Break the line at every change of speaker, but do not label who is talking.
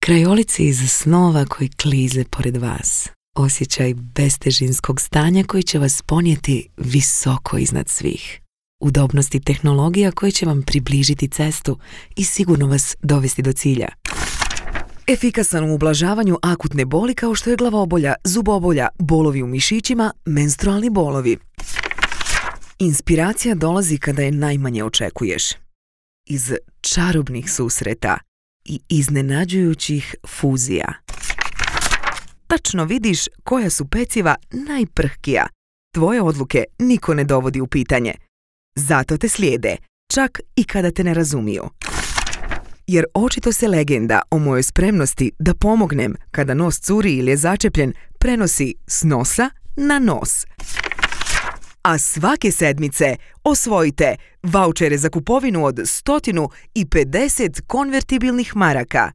krajolici iz snova koji klize pored vas. Osjećaj bestežinskog stanja koji će vas ponijeti visoko iznad svih. Udobnosti tehnologija koji će vam približiti cestu i sigurno vas dovesti do cilja. Efikasan u ublažavanju akutne boli kao što je glavobolja, zubobolja, bolovi u mišićima, menstrualni bolovi. Inspiracija dolazi kada je najmanje očekuješ. Iz čarobnih susreta i iznenađujućih fuzija. Tačno vidiš koja su peciva najprhkija. Tvoje odluke niko ne dovodi u pitanje. Zato te slijede, čak i kada te ne razumiju. Jer očito se legenda o mojoj spremnosti da pomognem kada nos curi ili je začepljen prenosi s nosa na nos. A svake sedmice osvojite vaučere za kupovinu od 150 konvertibilnih maraka.